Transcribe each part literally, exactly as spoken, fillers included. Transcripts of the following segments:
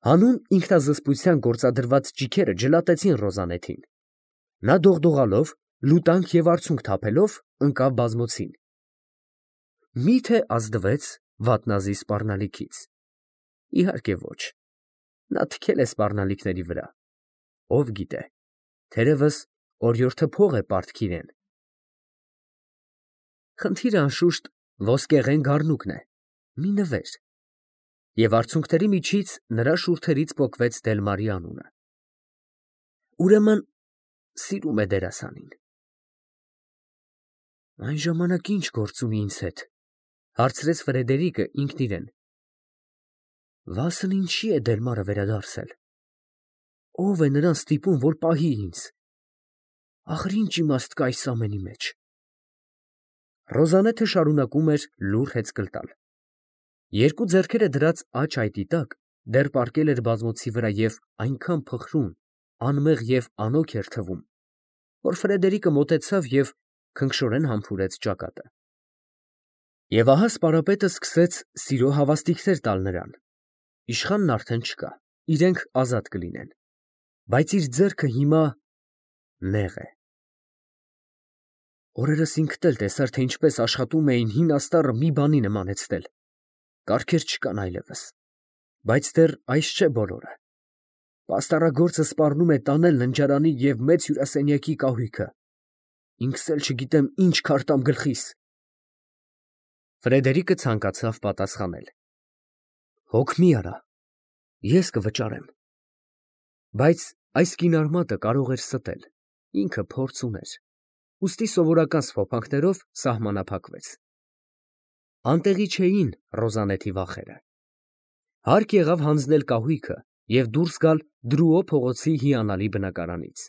Հանուն ինքնազսպության գործադրված ճիգերը ջլատեցին Ռոզանեթին. նա դողդողալով, լուտանք և արցունք թափելով, ընկավ բազմոցին։ Մի՞թե ազդվեց վատնազի սպառնալիքից։ Իհարկե ոչ, նա թքել է սպառնալիքների վրա, ով գիտե, թերևս օրիորդը փող է պարտք իրան։ Խնդիրը անշուշտ ոսկեղեն գառնուկն է, մի նվեր, և արցունքների միջից նրա շուրթերից պոկվեց Դելմարի անունը։ Ուրեմն սիրում է դերասանին։ Այն ժամանակ ի՞նչ գործ ունի ինձ հետ, հարցրեց Ֆրեդերիկը ինքն իրան։ Վասն ինչի է Դելմարը վերադարձել։ Ո՞վ է նրան ստիպում, որ պահի ինձ։ Ախր ի՞նչ իմաստ կա այս ամենի մեջ։ Ռոզանեթը շարունակում էր լուռ հեծկլ տալ։ Երկու ձեռքերը դրած աջ այտի տակ դեռ պառկել էր բազմոցի վրա և այնքան փխրուն, անմեղ և անոգ էր թվում, որ Ֆրեդերիկը մոտեցավ և քնքշորեն համբուրեց ճակատը։ Եվ ահա սպարապետը սկսեց սիրո հավաստիքներ տալ նրան։ Իշխանն արդեն չկա, իրենք ազատ կլինեն, բայց իր ձեռքը հիմա նեղ է։ Օրերս ինքդ էլ տեսար, թե ինչպես աշխատում էին հին աստառը մի բանի նմանեցնել, կարգեր չկան այլևս, բայց դեռ այս չէ բոլորը։ Պաստառագործը սպառնում է տանել ննջարանի և մեծ հյուրասենյակի կահույքը, ինքս էլ չգիտեմ ինչ քարտամ գլխիս։ Ֆրեդերիկը ցանկացավ պատասխանել. Հոգ մի արա, ես կվճարեմ։ Բայց այս կինարմատը կարող էր ստել, ինքը փորձ ուներ, ուստի սովորական սփոփանքներով սահմանափակվեց։ Անտեղի չէին Ռոզանեթի վախերը։ Հարկ եղավ հանձնել կահույքը և դուրս գալ Դրուո փողոցի հիանալի բնակարանից։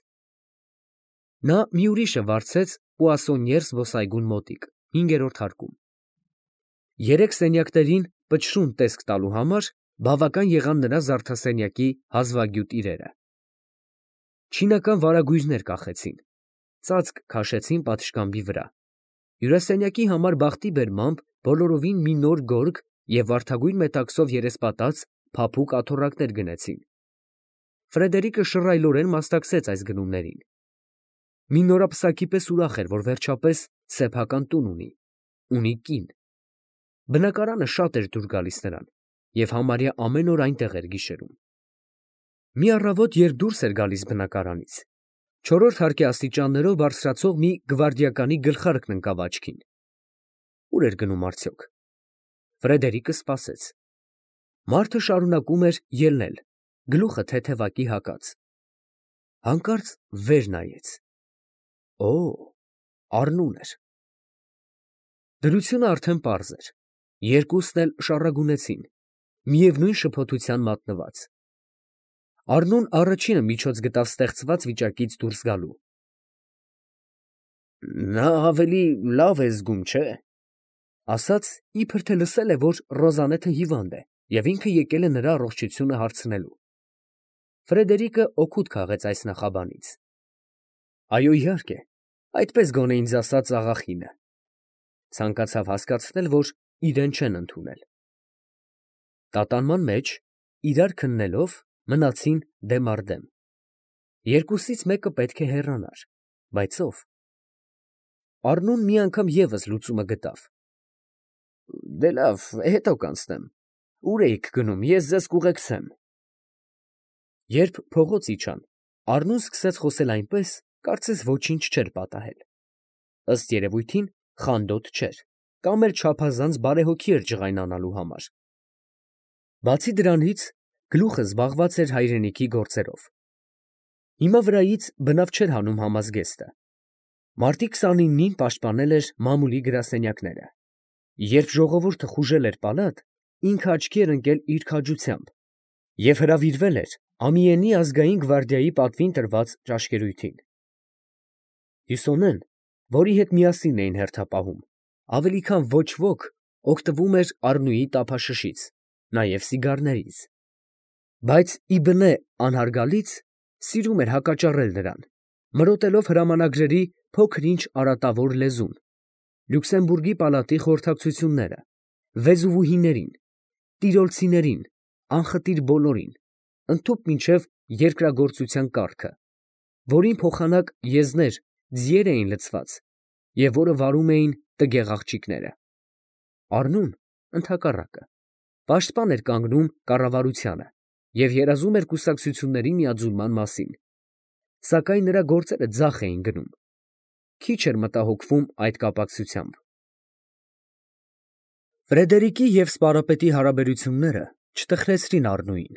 Նա մի ուրիշը վարձեց Պուասոնիեր զբոսայգուն մոտիկ, հինգերորդ հարկում։ Երեք սենյակներին պչռուն տեսք տալու համար բավական եղան նրա զարդասենյակի հազվագյուտ իրերը։ Չինական վարագույրներ կախեցին, ծածկ քաշեցին պատշգամբի վրա, հյուրասենյակի համար բախտի բերմամբ բոլորովին մի նոր գորգ և վարդագույն մետաքսով երեսպատած փափուկ աթոռակներ գնեցին։ Ֆրեդերիկը շռայլորեն մասնակցեց այս գնումներին։ Մի նորապսակի պես ուրախ էր, որ վերջապես սեփական տուն ունի, ունի կին։ Բնակարանը շատ էր դուր գալիս նրան, և համարյա ամեն օր այնտեղ էր գիշերում։ Մի առավոտ, երբ դուրս էր գալիս բնակարանից, չորրորդ հարկի աստիճաններով բարձրացող մի գվարդիականի գլխարկն ընկավ աչքին։ Ուր էր գնում արդյոք։ Ֆրեդերիկը սպասեց։ Մարդը շարունակում էր ելնել, գլուխը թեթևակի հագած։ Հանկարծ վեր նայեց։ Օ, Առնուն էր։ Դրությունը արդեն պարզ էր։ Երկուսն էլ շառագունեցին, միևնույն շփոթության մատնված։ Առնուն առաջինը միջոց գտավ ստեղծված վիճակից դուրս գալու։ Նա ավելի լավ է զգում, չէ՞, ասաց, իբր թե լսել է, որ Ռոզանեթը հիվանդ է, և ինքը եկել է նրա առողջությունը հարցնելու։ Ֆրեդերիկը օգուտ քաղեց այս նախաբանից։ Այո, իհարկե, այդպես գոնե ինձ ասաց աղախինը։ Ցանկացավ հասկացնել, որ իրեն չեն ընդունել։ Տատանման մեջ, իրար քննելով, մնացին դեմ առ դեմ։ Երկուսից մեկը պետք է հեռանար, բայց ո՞վ։ Առնուն մի անգամ ևս լուծումը գտավ։ Դե լավ, հետո կանցնեմ։ Ուր էիք գնում, ես ձեզ կուղեկցեմ։ Երբ փողոց իջան, Առնուն սկսեց խոսել այնպես, կարծես ոչինչ չէր պատահել։ Ըստ երևույթին, խանդոտ չէր, կամ էլ չափազանց բարեհոգի էր ջղայնանալու համար։ Բացի դրանից, գլուխը զբաղված էր հայրենիքի գործերով։ Հիմա վրայից բնավ չէր հանում համազգեստը։ Մարտի քսանինին պաշտպանել էր մամուլի գրասենյակները։ Երբ ժողովուրդը խուժել էր պալատ, ինքը աչքի էր ընկել իր քաջությամբ և հրավիրվել էր Ամիենի ազգային գվարդիայի պատվին տրված ճաշկերույթին։ Հյուսոնեն, որի հետ միասին էին հերթապահում, ավելի քան ոչ ոք օգտվում էր Առնուի տափաշշից, նաև սիգարներից, բայց ի բնե անհարգալից սիրում էր հակաճառել նրան, մրոտելով հրամանագրերի փոքր-ինչ արատավոր լեզուն, Լյուքսեմբուրգի պալատի խորհրդակցությունները, վեզուվուհիներին, տիրոլցիներին, անխտիր բոլորին, ընդཐուպ մինչև երկրագործության կարգը, որին փոխանակ եզներ, ձիեր էին լցված և որը վարում էին տգեղ աղջիկները։ Առնուն, ընդհակառակը, պաշտպան էր կանգնում կառավարությանը և երազում էր կուսակցությունների միաձուլման մասին, սակայն նրա գործերը ձախ էին գնում, քիչ էր մտահոգվում այդ կապակցությամբ։ Ֆրեդերիկի և սպարապետի հարաբերությունները չտխրեցրին Առնուին։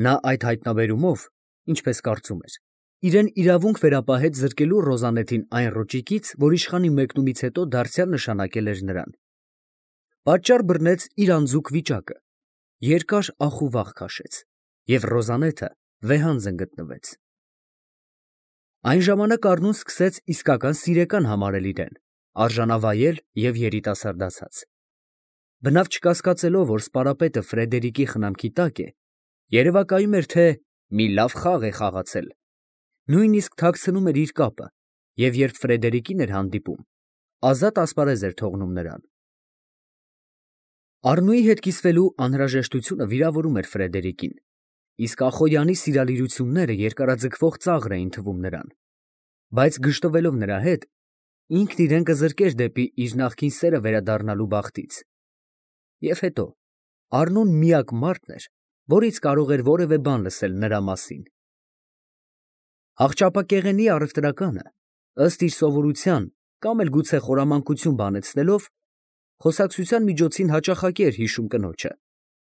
Նա այդ հայտնաբերումով, ինչպես կարծում էր, իրեն իրավունք վերապահեց զրկելու Ռոզանետին այն ռոճիկից, որ իշխանի մեկնումից հետո դարձյալ նշանակել էր նրան։ Պատճառ բռնեց իր անձուկ վիճակը, երկար ախ ու վախ քաշեց, և Ռոզանետը վեհանձն գտնվեց։ Այն ժամանակ Առնուն սկսեց իսկական սիրեկան համարել իրեն, արժանավայել և երիտասարդացած։ Բնավ չկասկածելով, որ սպարապետը Ֆրեդերիկի խնամքի տակ է, երևակայում էր, թե մի լավ խաղ է խաղացել, նույնիսկ թաքցնում էր իր կապը և երբ Ֆրեդերիկին էր հանդիպում, ազատ ասպարեզ էր թողնում նրան։ Առնուի հետ կիսվելու անհրաժեշտությունը վիրավորում էր Ֆրեդերիկին, իսկ Ախոյանի սիրալիրությունները երկարաձգվող ծաղր էին թվում նրան, բայց գժտվելով նրա հետ, ինքն իրեն կզրկեր դեպի իր նախկին սերը վերադառնալու բախտից։ Եվ հետո, Առնուն միակ մարդն էր, որից կարող էր որևէ բան լսել նրա մասին։ Աղճապակեղենի առևտրականը, ըստ իր սովորության կամ էլ գուցե խորամանկություն բանեցնելով, խոսակցության միջոցին հաճախակի էր հիշում կնոջը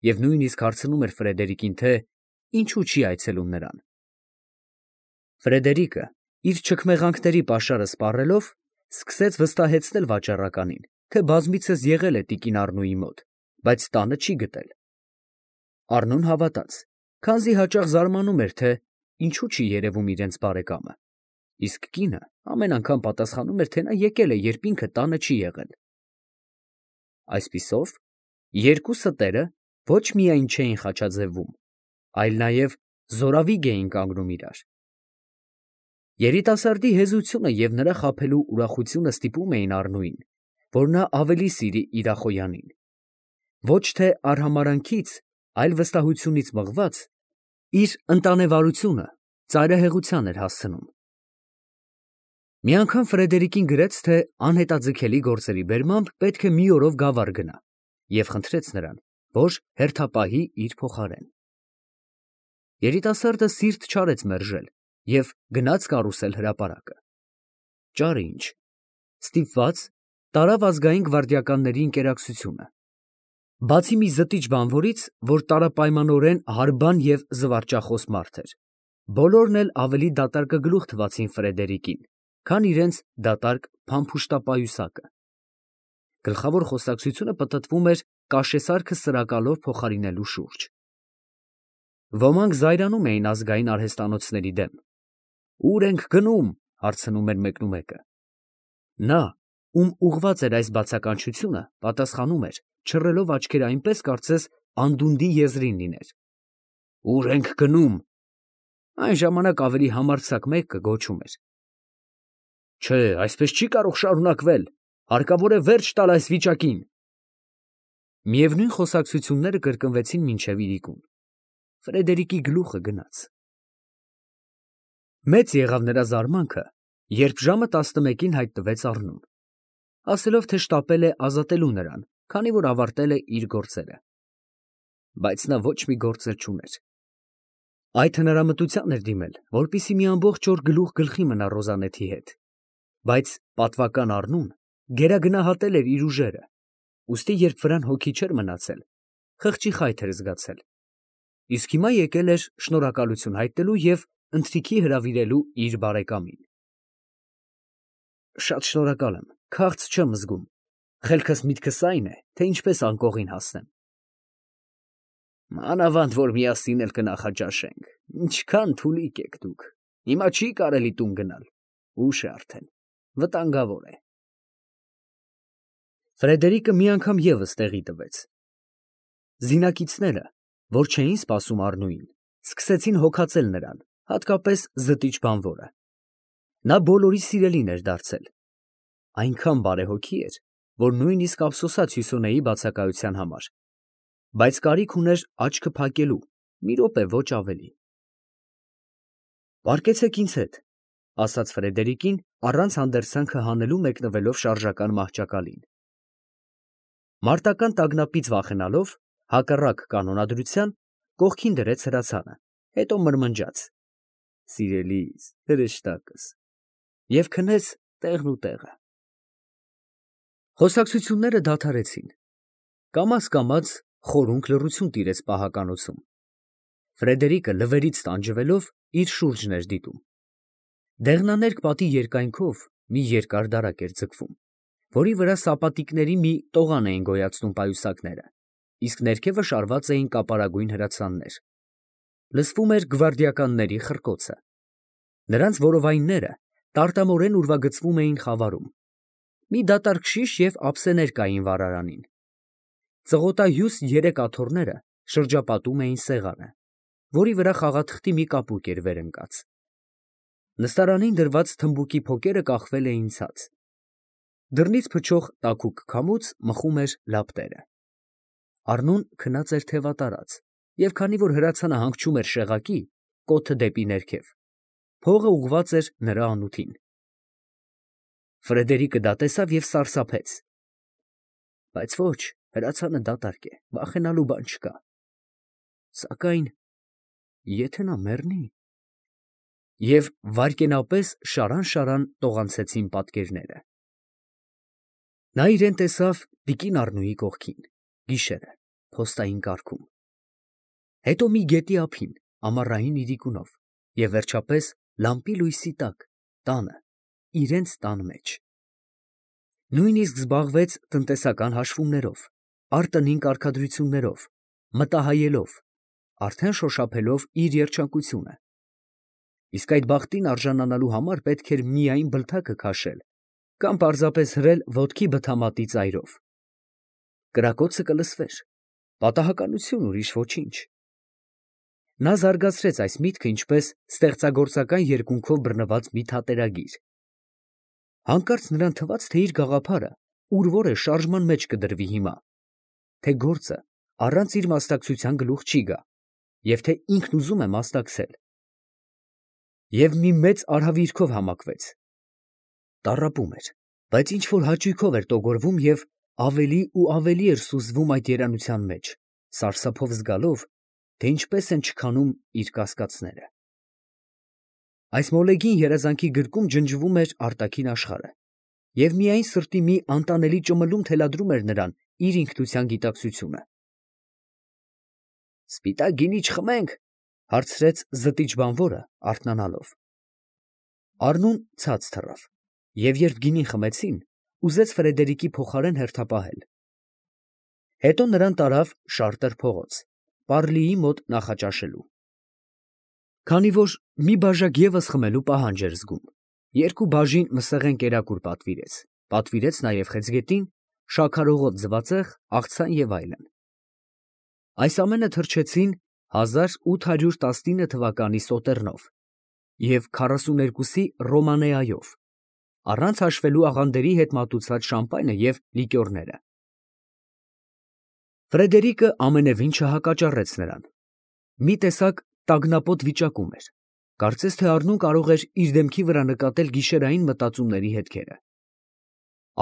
և նույնիսկ հարցնում էր Ֆրեդերիկին, թե ինչու չի այցելում նրան։ Ֆրեդերիկը, իր չքմեղանքների պաշարը սպառելով, սկսեց վստահեցնել վաճառականին, թե բազմիցս եղել է տիկին Առնուի մոտ, բայց տանը չի գտել։ Առնուն հավատաց, քանզի հաճախ զարմանում էր, թե ինչու չի երևում իրենց բարեկամը, իսկ կինը ամեն անգամ պատասխանում էր, թե նա եկել է, երբ ինքը տանը չի եղել։ Այսպիսով, երկու ստերը ոչ միայն չէին խաչաձևվում, այլ նաև զորավիգ էին կանգնում իրար։ Երիտասարդի հեզությունը և նրա խաբելու ուրախությունը ստիպում էին Առնուին, որ նա ավելի սիրի իր Ախոյանին։ Ոչ թե արհամարհանքից, այլ վստահությունից մղված, իր ընտանեվարությունը ծայրահեղության էր հասցնում։ Մի անգամ Ֆրեդերիկին գրեց, թե անհետաձգելի գործերի բերմամբ պետք է մի օրով Գավառ գնա և խնդրեց նրան, որ հերթապահի իր փոխարեն։ Երիտասարդը սիրտ չարեց մերժել և գնաց կարուսել հրապարակը։ Ճարը ինչ, ստիպված տարավ ազգային գվարդիականների ընկերակցությունը։ Բացի մի զտիչ բանվորից, որ տարապայմանորեն հարբան և զվարճախոս մարդ էր, բոլորն էլ ավելի դատարկագլուխ թվացին Ֆրեդերիկին, քան իրենց դատարկ փամփուշտապայուսակը։ Գլխավոր խոսակցությունը պտտվում էր կաշեսարքը սրակալով փոխարինելու շուրջ։ Ոմանք զայրանում էին ազգային արհեստանոցների դեմ։ «Ո՞ւր ենք գնում», հարցնում էր մեկնումեկը։ Նա, ում ուղղված էր այս բացականչությունը, պատասխանում էր, չռելով աչքերը այնպես, կարծես անդունդի եզրին լիներ։ «Ո՞ւր ենք գնում»։ Այն ժամանակ ավելի համարձակ մեկը գոչում էր. «Չէ, այսպես չի կարող շարունակվել, հարկավոր է վերջ տալ այս վիճակին»։ Միևնույն խոսակցությունները կրկնվեցին մինչև իրիկուն։ Ֆրեդերիկի գլուխը գնաց։ Մեծ եղավ նրա զարմանքը, երբ ժամը տասնմեկին հայտնվեց Առնուն, ասելով, թե շտապել է ազատելու նրան, քանի որ ավարտել է իր գործերը։ Բայց նա ոչ մի գործեր չուներ։ Այդ հնարամտության էր դիմել, որպեսզի մի ամբողջ օր գլուխ գլխի մնա Ռոզանեթի հետ, բայց պատվական Առնուն գերագնահատել էր իր ուժերը, ուստի երբ վրան հոգի չէր մնացել, խղճի խայթ էր զգացել, իսկ հիմա եկել էր շնորհակալություն հայտնելու և ընթրիքի հրավիրելու իր բարեկամին։ Շատ շնորհակալ եմ, քաղց չեմ զգում, խելքս միտքս այն է, թե ինչպես անկողին հասնեմ։ Մանավանդ որ միասին էլ կնախաճաշենք, ինչքան թուլիկ եք դուք, հիմա չի կարելի տուն գնալ, ուշ է արդեն, վտանգավոր է։ Ֆրեդերիկը մի անգամ ևս տեղի տվեց։ Զինակիցները, որ չէին սպասում Առնուին, սկսեցին հոգացել նրան, հատկապես զտիչ բանվորը։ Նա բոլորի սիրելին էր դարձել։ Այնքան բարեհոգի էր, որ նույնիսկ ափսոսաց Հյուսոնեի բացակայության համար, բայց կարիք ուներ աչքը փակելու, մի րոպե ոչ ավելի։ Պառկեցեք ինձ հետ, ասաց Ֆրեդերիկին, առանց հանդերձանքը հանելու մեկնվելով շարժական մահճակալին։ Մարտական տագնապից վախենալով, հակառակ կանոնադրության, կողքին դրեց հրացանը, հետո մրմնջաց. «Սիրելիս, հրեշտակս» և քնեց տեղն ու տեղը։ Խոսակցությունները դադարեցին։ Կամաց-կամաց խորունկ լռություն տիրեց պահականոցում։ Ֆրեդերիկը լվերից տանջվելով իր շուրջն էր դիտում։ Դեղնաներկ պատի երկայնքով մի երկար դարակ էր ձգվում, որի վրա սապատիկների մի տողան էին գոյացնում պայուսակները, իսկ ներքևը շարված էին կապարագույն հրացաններ։ Լսվում էր գվարդիականների խռկոցը։ Նրանց որովայնները տարտամորեն ուրվագծվում էին խավարում։ Մի դատարկ շիշ և ափսեներ կային վառարանին։ Ծղոտահյուս երեք աթոռները շրջապատում էին սեղանը, որի վրա խաղաթղթի մի կապույտ էր վեր ընկած։ Նստարանին դրված թմբուկի փոկերը կախվել էին ցած։ Դռնից փչող տաքուկ քամուց մխում էր լապտերը։ Առնուն քնած էր թևատարած, և քանի որ հրացանը հանգչում էր շեղակի, կոթը դեպի ներքև, փողը ուղղված էր նրա անութին։ Ֆրեդերիկը դա տեսավ և սարսափեց։ Բայց ոչ, հրացանը դատարկ է, վախենալու բան չկա։ Սակայն եթե նա մեռնի… Եվ վայրկենապես շարան֊շարան տողանցեցին պատկերները։ Նա իրեն տեսավ տիկին Առնուի կողքին, գիշերը, փոստային կառքում, հետո մի գետի ափին, ամառային իրիկունով, և վերջապես լամպի լույսի տակ, տանը, իրենց տան մեջ։ Նույնիսկ զբաղվեց տնտեսական հաշվումներով, արտընին կարգադրություններով, մտահայելով, արդեն շոշափելով իր երջանկությունը։ Իսկ այդ բախտին արժանանալու համար պետք էր միայն բլթակը քաշել կամ պարզապես հրել ոտքի բթամատի ծայրով։ Կրակոցը կլսվեր, պատահականություն, ուրիշ ոչինչ։ Նա զարգացրեց այս միտքը ինչպես ստեղծագործական երկունքով բռնված մի թատերագիր։ Հանկարծ նրան թվաց, թե իր գաղափարը ուր֊որ է շարժման մեջ կդրվի հիմա, թե գործը առանց իր մասնակցության գլուխ չի գա, և թե ինքն ուզում է մասնակցել։ Եվ մի մեծ արհավիրքով համակվեց։ Տառապում էր, բայց ինչ֊որ հաճույքով էր տոգորվում և ավելի ու ավելի էր սուզվում այդ երանության մեջ, սարսափով զգալով, թե ինչպես են չքանում իր կասկածները։ Այս մոլեգին երազանքի գրկում ջնջվում էր արտաքին աշխարհը, և միայն սրտի մի անտանելի ճմլում թելադրում էր նրան իր ինքնության գիտակցությունը։ «Սպիտակ գինի չխմենք, ֊ հարցրեց զտիչ բանվորը, արթնանալով։ Առնուն ցած թռավ, և երբ գինին խմեցին, ուզեց Ֆրեդերիկի փոխարեն հերթապահել։ Հետո նրան տարավ շարտեր փողոց, Պառլիի մոտ նախաճաշելու։ Քանի որ մի բաժակ ևս խմելու պահանջ էր զգում, երկու բաժին մսեղեն կերակուր պատվիրեց, պատվիրեց նաև խեցգետին, շաքարօղոտ ձվածեղ, աղցան և այլն։ Այս ամենը թրջեցին հազար ութ հարյուր տասնինը թվականի Սոտեռնով և քառասուներկուսի Ռոմանեայով, առանց հաշվելու աղանդերի հետ մատուցած շամպայնը և լիկյորները։ Ֆրեդերիկը ամենևին չհակաճառեց նրան։ Մի տեսակ տագնապոտ վիճակում էր, կարծես թե Առնուն կարող էր իր դեմքի վրա նկատել գիշերային մտածումների հետքերը։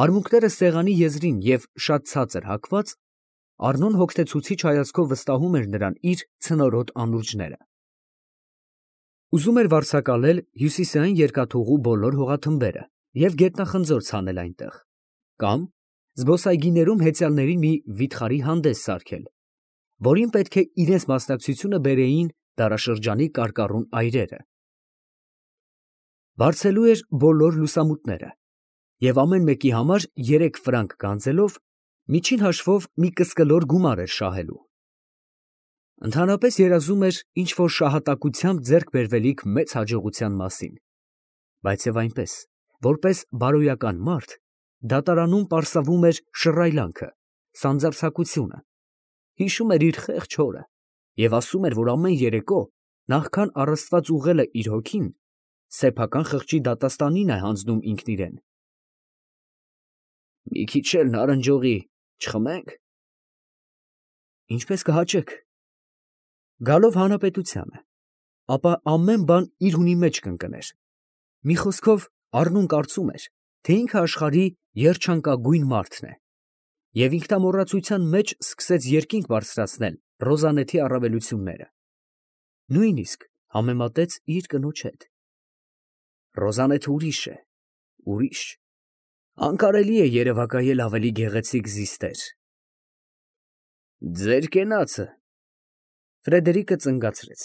Արմունկները սեղանի եզրին և շատ ցածր հագված, Առնուն հոգնեցուցիչ հայացքով վստահում էր նրան իր ցնորոտ անուրջները։ Ուզում էր վարձակալել հյուսիսային երկաթուղու բոլոր հողաթմբերը և գետնախնձոր ցանել այնտեղ, կամ զբոսայգիներում հեծյալների մի վիթխարի հանդես սարքել, որին պետք է իրենց մասնակցությունը բերեին դարաշրջանի կարկառուն այրերը։ Վարձելու էր բոլոր լուսամուտները և ամեն մեկի համար երեք ֆրանկ գանձելով, միջին հաշվով մի կսկլոր գումար էր շահելու։ Ընդհանրապես երազում էր ինչ֊որ շահատակությամբ ձեռք բերվելիք մեծ հաջողության մասին, բայց և այնպես, որպես բարոյական մարդ, դատարանում պարսավում էր շռայլանքը, սանձարձակությունը, հիշում էր իր խեղճ հորը և ասում էր, որ ամեն երեկո, նախքան առաստված ուղղելը իր հոգին, սեփական խղճի դատաստանին է հանձնում ինքն իրեն։ «Մի քիչ էլ նարնջողի չխմե՞նք»։ ֊ Ինչպես կհաճեք։ Գալով հանրապետությանը, ապա ամեն բան իր հունի մեջ կընկներ. մի խոսքով, Առնուն կարծում էր, թե ինքը աշխարհի երջանկագույն մարդն է, և ինքնամոռացության մեջ սկսեց երկինք բարձրացնել Ռոզանեթի առավելությունները. նույնիսկ համեմատեց իր կնոջ հետ. Ռոզանեթը ուրիշ է, ուրիշ, անկարելի է երևակայել ավելի գեղեցիկ զիստեր։ Ձեր կենացը… Ֆրեդերիկը ծնգացրեց։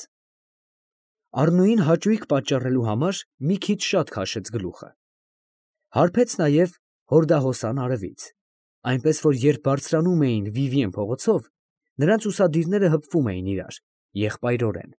Առնուին հաճույք պատճառելու համար մի քիչ շատ քաշեց գլուխը, հարբեց նաև հորդահոսան արևից, այնպես որ երբ բարձրանում էին Վիվիեն փողոցով, նրանց ուսադիրները հպվում էին իրար, եղբայրորեն։